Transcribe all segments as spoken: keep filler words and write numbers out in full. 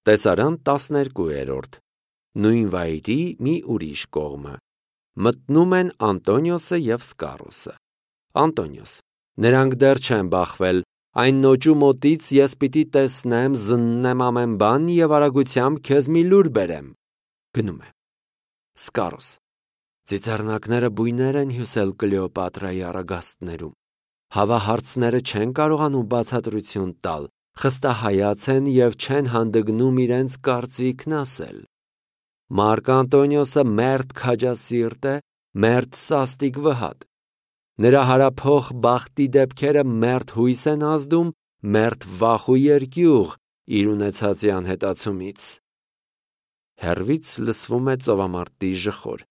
Տեսարան տասներկուերորդ Նույն վայրի մի ուրիշ կողմը Մտնում են Անտոնիոսը և Սկարոսը Անտոնիոս Նրանք դեռ չեն բախվել Այն նոճու մոտից ես պիտի տեսնեմ, զննեմ ամեն բան և արագությամբ քեզ մի լուր բերեմ Գնում է Սկարոս Ծիծեռնակները բույներ են հյուսել Կլեոպատրայի առագաստներում Հավահարցները չեն կարողանում բացատրություն տալ Խստահայաց են և չեն հանդգնում իրենց կարծիքն ասել Մարկ Անտոնիոսը մերթ քաջասիրտ է, մերթ սաստիկ վհատ Նրա հարափոխ բախտի դեպքերը մերթ հույս են ազդում, մերթ վախ ու երկյուղ իր ունեցածի անհետացումից Հեռվից լսվում է ծովամարտի ժխոր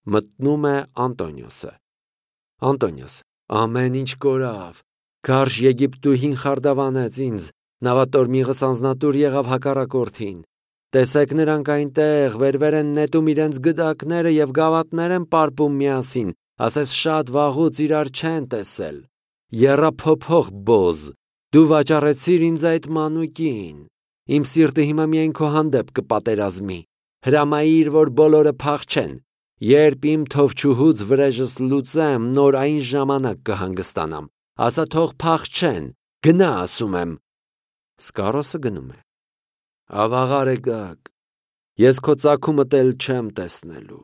Մտնում է Անտոնիոսը Անտոնիոս Ամեն ինչ կորավ Գարշ Եգիպտուհին խարդավանեց ինձ Նավատորմիղս անձնատուր եղավ հակառակորդին Տեսեք նրանք այնտեղ վեր-վեր են նետում իրենց գդակները և գավաթներ են պարպում միասին Ասես շատ վաղուց իրար չեն տեսել Եռափոփող բոզ Դու վաճառեցիր ինձ այդ մանուկին Իմ սիրտը հիմա միայն քո հանդեպ կպատերազմի Հրամայիր, որ բոլորը փախչեն Երբ իմ թովչուհուց վրեժս լուծեմ, նոր այն ժամանակ կհանգստանամ Ասա թող փախչեն, գնա ասում եմ Սկարոսը գնում է Ավաղար եկակ Ես քո ծագումդ էլ չեմ տեսնելու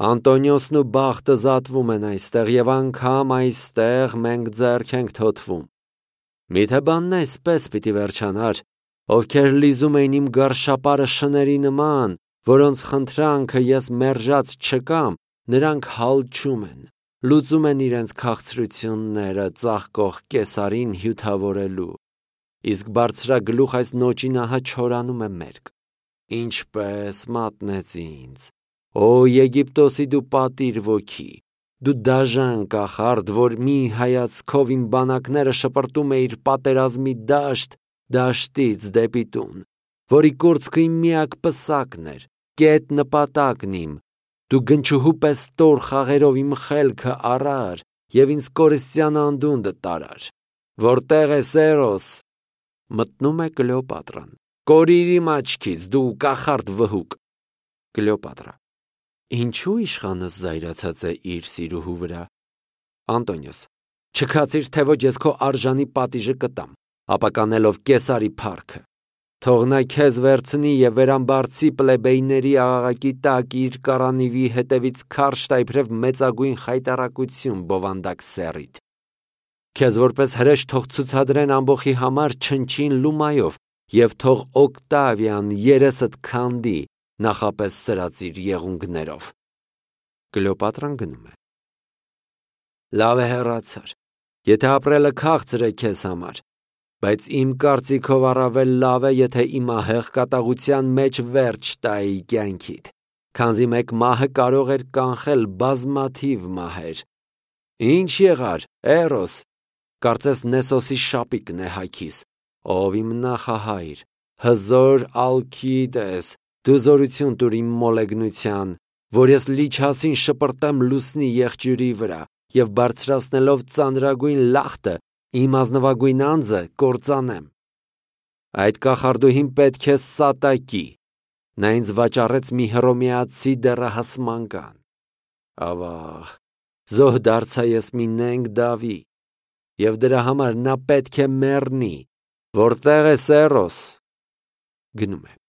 Անտոնիոսն ու բախտը զատվում են այստեղ և անգամ այստեղ մենք ձեռք ենք թոթվում Միթե բանն այսպես պիտի վերջանար Ովքեր լիզում էին իմ գարշապարը շների նման Որոնց խնդրանքը ես մերժած չկամ Նրանք հալչում են Լուծում են իրենց քաղցրությունները Ծաղկող կեսարին հյութավորելու Իսկ բարձրագլուխ այս նոճին ահա չորանում է մերկ Ինչպես մատնեց ինձ Օ Եգիպտոսի դու պատիր ոգի Դու դաժան կախարդ, որ մի հայացքով իմ բանակները շպրտում էիր պատերազմի դաշտ Դաշտից դեպի տուն Որի կուրծքը իմ միակ պսակն էր Կետ նպատակն իմ Դու գնչուհու պես տոր խաղերով իմ խելքը առար Եվ ինձ կորստյան անդունդը տարար Որտեղ ես Էրոս Մտնում է Կլեոպատրան Կորիր իմ աչքից դու կախարդ վհուկ Կլեոպատրա Ինչու իշխանս զայրացած է իր սիրուհու վրա Անտոնիոս Չքացիր թե ոչ ես քո արժանի պատիժը կտամ Ապականելով կեսարի փառքը Թող նա քեզ վերցնի և վերամբարձի պլեբեյների աղաղակի տակ իր կարանիվի հետևից քարշ տա իբրև մեծագույն խայտառակություն բովանդակ սեռիդ Քեզ որպես հրեշ թող ցուցադրեն ամբոխի համար չնչին լումայով և թող Օկտավիան երեսդ քանդի նախապես սրած իր եղունգներով Կլեոպատրան գնում է Լավ է հեռացար Եթե ապրելը քաղցր է քեզ համար Բայց իմ կարծիքով առավել լավ է, եթե իմահեղ կատաղության մեջ վերջ տայի կյանքիդ, քանզի մեկ մահը կարող էր կանխել բազմաթիվ մահեր։ Ինչ եղար, Էրոս, կարծես Նեսոսի շապիկն է հագիս, ով իմ նախահայր, հզոր Ալքիդես, դու զորություն տուր իմ մոլեգնության, որ ես լիչասին շպրտեմ լուսնի եղջյուրի վրա և բարձրացնելով ծանրագույն լախտը Իմ ազնվագույն անձը կործանեմ։ Այդ կախարդուհին պետք է սատակի, նա ինձ վաճառեց մի հռոմեացի դեռահաս մանկան։ Ավաղ, զոհ դարձա ես մի նենգ դավի, և դրա համար նա պետք է մեռնի, որտեղ է Էրոս։ Գնում է։